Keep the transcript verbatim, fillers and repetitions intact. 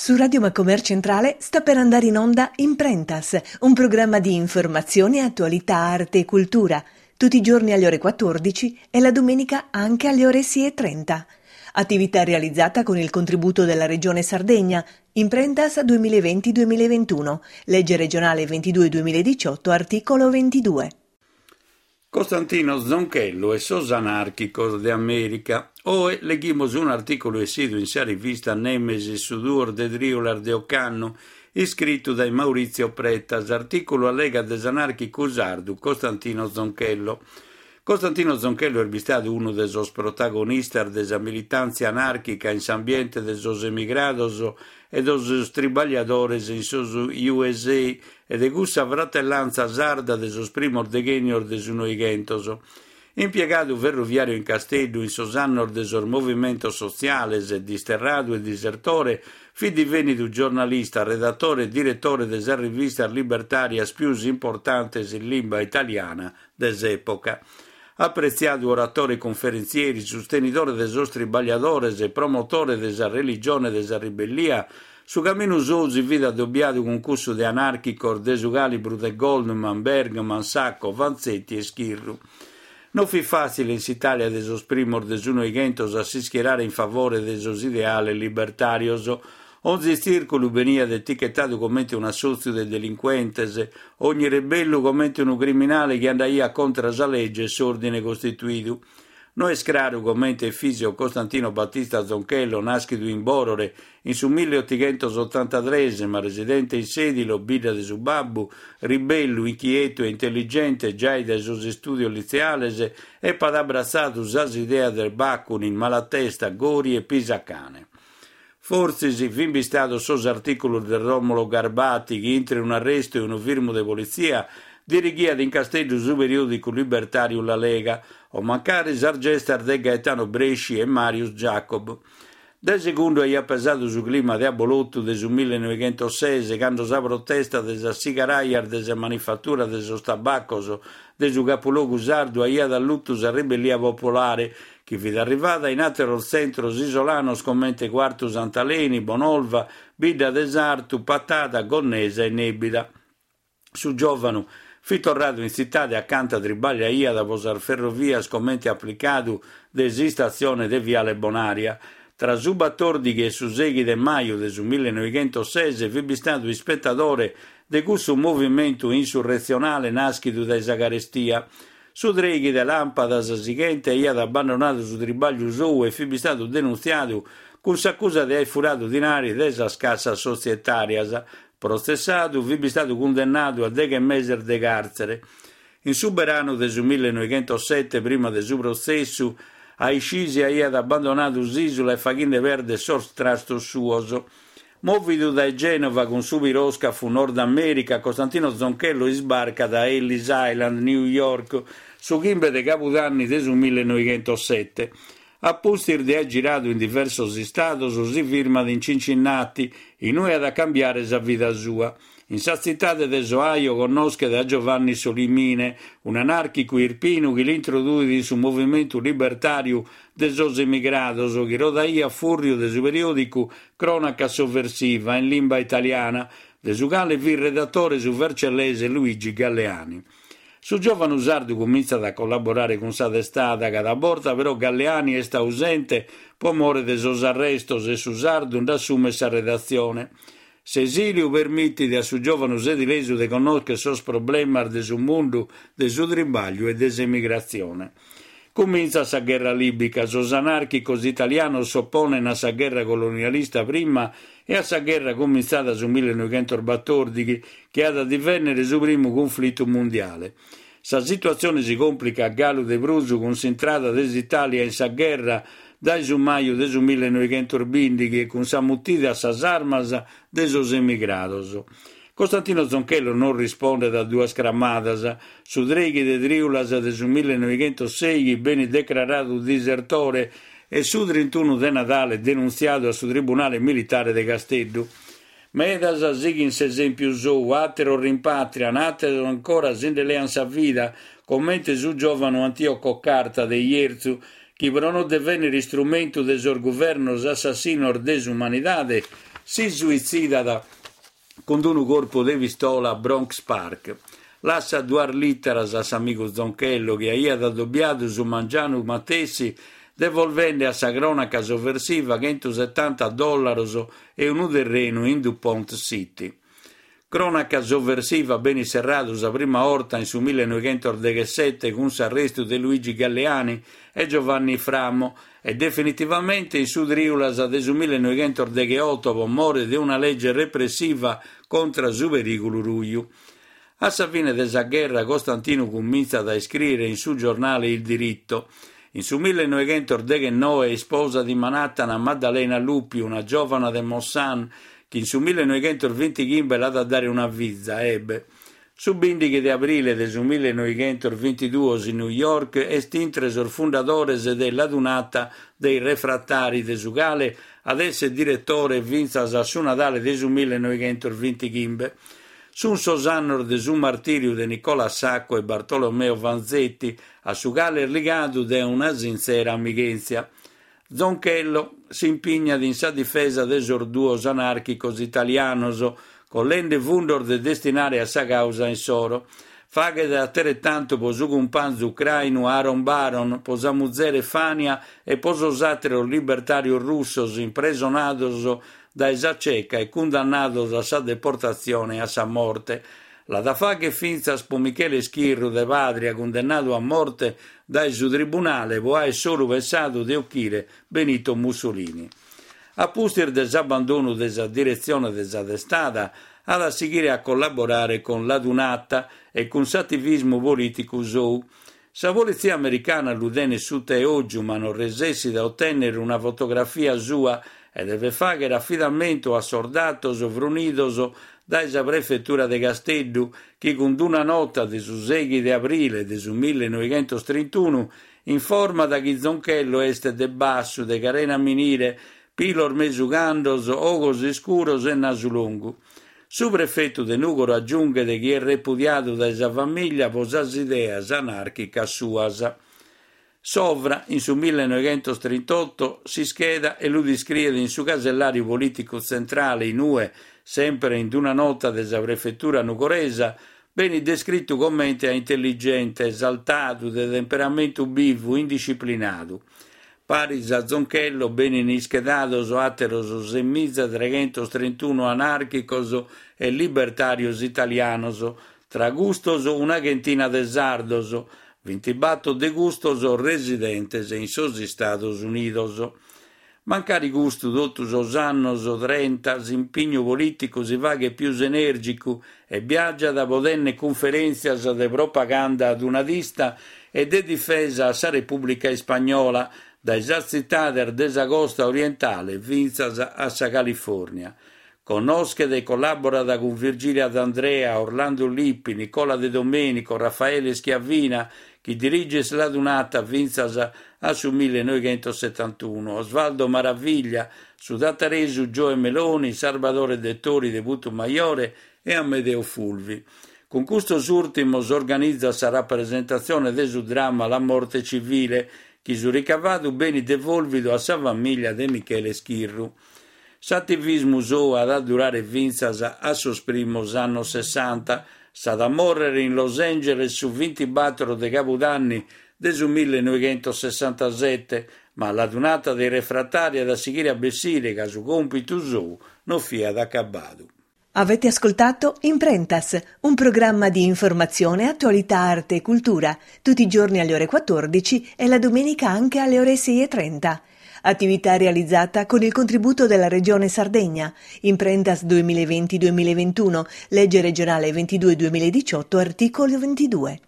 Su Radio Macomer Centrale sta per andare in onda Imprentas, un programma di informazione, attualità, arte e cultura, tutti i giorni alle ore quattordici e la domenica anche alle ore sei e trenta. Attività realizzata con il contributo della Regione Sardegna, Imprentas duemilaventi duemilaventuno, legge regionale ventidue duemiladiciotto, articolo ventidue. Costantino Zonchello e sos anàrchicos de Amèrica. Oe leghimus un'artìculu essidu in sa rivista Nemesis su duos de trìulas de ocannu, iscritu dae Maurizio Preta. S'artìculu allegat de s'anàrchicu sardu Costantino Zonchello. Costantino Zonchello est bistadu unu de sos protagonistas de sa militàntzia anàrchica in s'ambiente de sos emigrados e de sos tribagliadores in sos U S A e de cussa fratellanza sarda de sos primos deghènnios de su Noighentos. Impiegadu ferroviàriu in Casteddu in sos annos de sos movimentos sotziales, disterradu e disertore, fit divenidu giornalista, redatore e diretore de sas rivistas libertàrias pius importantes in limba italiana de s'època. Apretziadu oratore e conferentzieri, sustenidore de sos tribagliadores e promotore de sa religione de sa ribellia, su caminu sou si fit addobiadu cun cussu de anàrchicos de su calibru de Goldman, Bergman, Sacco, Vanzetti e Schirru. Non fit fàtzile in s'Itàlia de sos primos de su Noighentos a s'ischierare in favore de sos ideales libertàrios. Onzi tzìrculu beniat etichetadu comente un'assòtziu de delincuentes, ogni rebellu comente unu criminale chi andaiat contra sa legge e s'ordine costituidu. No est craru comente Efisio Costantino Battista Zonchello, nàschidu in Borore in su milleotighentosotantatrès, ma residente in Sedilo, bidda de su babbu, ribellu, inchietu e intelligente giai dae sos istùdios litzeales, epat abbratzadu sas ideas de Bakunin, Malatesta, Gori e Pisacane. Fortzis fin bistados sos artìculos de Romolo Garbati chi, intre un'arrestu e unu firmu de politzia, dirighiat in Casteddu su periòdicu libertàriu La Lega, o mancari sas gestas de Gaetano Bresci e Marius Jacob. De segundu aiat pesadu su clima de abolotu de su millenovichentoses, cando sa protesta de sas sigaraias de sa manifattura de sos tabacos de su capulogu sardu aiat alluttu sa rebellia popolare, chi fit arrivada in àteros tzentros isolanos comente Quartu Sant'Aleni, Bonolva, Bidda de Sartu, Patada, Gonnesa e Nebida. Su giòvanu fit torradu in tzitade acanta tribagliaiat pro sas ferrovias comente aplicadu de s'istatzione de Viale Bonaria. Tra su batòrdighi e su sèighi de maju de su millenovichentoses fit bistadu ispetadore de cussu movimentu insurretzionale nàschidu dae sa carestia. Su trèighi de làmpadas sighente aiat abbandonadu su tribagliu sou e fit bistadu denuntziadu cun s'acusa de aer furadu dinari de sas cassas sotzietàrias. Protzessadu, fit bistadu cundennadu a deghe meses de càrtzere. In su beranu de su millenoighentosete, prima de su protzessu, Aiscisi aiat abbandonadu s'ìsula e faghende perdere sos trastos suos. Mòvidu dae Gènova cun su piròscafu Nord America, Costantino Zonchello isbarcat a Ellis Island, New York, su chimbe de Cabudanni de su millenoighentosete. A pustis de aer giradu in diversos istados, si firmat in Cincinnati, inue at a cambiare sa vida sua. In sa tzitade de s'Ohio connoschet a Giovanni Solimine, un'anàrchicu irpinu chi l'introduit in su movimentu libertàriu de sos emigrados, chi rodaiat fùrriu de su periòdicu Cronaca Sovversiva in limba italiana, de su cale fit redatore su vercellese Luigi Galleani. Su giòvanu sardu comintzat a collaborare cun sa testada, cada borta però Galleani est ausente pro more de sos arrestos e su sardu nd'assumet sa redatzione. S'esiliu permitit a su giòvanu sedilesu de connòschere sos problemas de su mundu de su tribagliu e de s'emigratzione. Comintzat sa gherra libica, sos anàrchicos italianos s'opponen a sa gherra colonialista prima e a sa gherra comintzada su millenoighentosbatòrdighi, chi at a divennere su primu cunflitu mundiale. Sa situatzione si complica galu de prus cun s'intrada de s'Itàlia in sa gherra dae su maju de su millenoighentosbìndighi e cun sa mutida a sas armas de sos emigrados. Costantino Zonchello non rispondet a duas cramadas. Su trèighi de trìulas de su millenoighentosèighi benit declaradu disertore e su trintunu de Nadale denuntziadu a su Tribunale Militare de Casteddu. Medas sighin s'esèmpiu sou, àteros rimpatrian, àteros ancora si nde lean sa vida, comente su giòvanu Antioco Carta de Ierzu, chi pro non devennere istrumentu de sos guvernos assassinos de s'umanidade, si suitzidat cun unu corpu de pistola a Bronx Park. Lassat duas lìteras a s'amigu Zonchello, chi aiat adobiadu su mangianu matessi, devolvende a sa cronaca sovversiva centosetanta dollaros e unu terrenu in DuPont City. Cronaca sovversiva benit serradu sa prima 'orta in su millenoighentosdeghessete cun s'arrestu de Luigi Galleani e Giovanni Framo e definitivamente in su trìulas de su millenoighentosdegheoto pro more de una lege repressiva contra su perìgulu ruju. A sa fine de sa gherra Costantino comintzat a iscrìere in su giornale Il Diritto. In su millenoighentosdeghenoe isposat in Manhattan Maddalena Lupi, una giòvana de Mossan, chi in su millenoighentosvintighimbe l'at a dare una fiza, Ebe. Su bìndighi de abrile de su millenoighentosvintiduos in New York est intre sos fundadores de l'Adunata dei Refrattari, de su cale at èssere diretore fintzas a su Nadale de su millenoighentosvintighimbe. Sunt sos annos de su martìriu de Nicola Sacco e Bartolomeo Vanzetti, a su cale est ligadu dae una sintzera amighèntzia. Zonchello s'impignat in sa difesa de sos duos anàrchicos italianos, collende fundos de destinare a sa càusa insoro. Faghet ateretantu pro su cumpanzu ucrainu Aaron Baron, pro sa muzere Fania e pro sos àteros libertàrios russos impresonados dae sa Ceca e cundannados a sa deportatzione e a sa morte. L'at a fàghere fintzas pro Michele Schirru de Pàdria, cundennadu a morte dae su tribunale pro àere solu pensadu de ochire Benito Mussolini. A pustis de s'abbandonu de sa diretzione de sa testada, at a sighire a collaborare cun l'Adunata e cun s'ativismu polìticu sou. Sa politzia americana lu tenet suta 'e ògiu, ma non resessit a otènnere una fotografia sua e devet fàghere afidamentu a sos datos frunidos dae sa prefetura de Casteddu, chi cun una nota de su sèighi de abrile de su millenoighentostrintuno informat chi Zonchello est de bassu, de carena minire, pilos mesu candos, ogos iscuros e nasu longu. Su prefetu de Nùgoro agiunghet chi est repudiadu dae sa famìlia pro sas ideas anàrchicas suas. Sovra, in su millenoighentostrintoto, s'ischeda e lu descriet in su casellàriu polìticu tzentrale, in ue, sempre in una nota de sa prefetura nugoresa, benit descritu comente a intelligente, esaltadu, de temperamentu bivu, indisciplinadu. Paris a Zonchello benint ischedados àteros semiza treghentos trintuno anàrchicos e libertàrios italianos, tra custos una chentina de sardos, bintibator de custos residentes in sos Istados Unidos. Mancari custu, totu sos annos trenta s'impignu polìticu si faghet pius enèrgicu e biàgiat pro tènnere cunferèntzias de propaganda adunadista e de difesa a sa Repùblica Ispagnola, dae sas tzitades de sa costa orientale fintzas a sa Califòrnia. Connoschet e collàborat cun Virgilia D'Andrea, Orlando Lippi, Nicola De Domenico, Raffaele Schiavina, chi diriget l'Adunata fintzas a su millenoighentossetantuno, Osvaldo Maraviglia, su tataresu Gioe Meloni, Salvatore Dettori de Putumajore e Amedeo Fulvi. Cun custos ùrtimos organizat sa rapresentatzione de su dramma La morte civile, chi su ricavadu benit devolvidu a sa famìlia de Michele Schirru. S'ativismu sou at a durare fintzas a sos primos annos sessanta. S'at a mòrrere in Los Angeles su bintibator de Cabudanni de su millenoighentosessantasete, ma l'Adunata dei Refrattari at a sighire a bessire ca su còmpitu sou non fiat acabadu. Avete ascoltato Imprentas, un programma di informazione, attualità, arte e cultura, tutti i giorni alle ore quattordici e la domenica anche alle ore sei e trenta. Attività realizzata con il contributo della Regione Sardegna. Imprentas duemilaventi-duemilaventuno, legge regionale ventidue duemiladiciotto, articolo ventidue.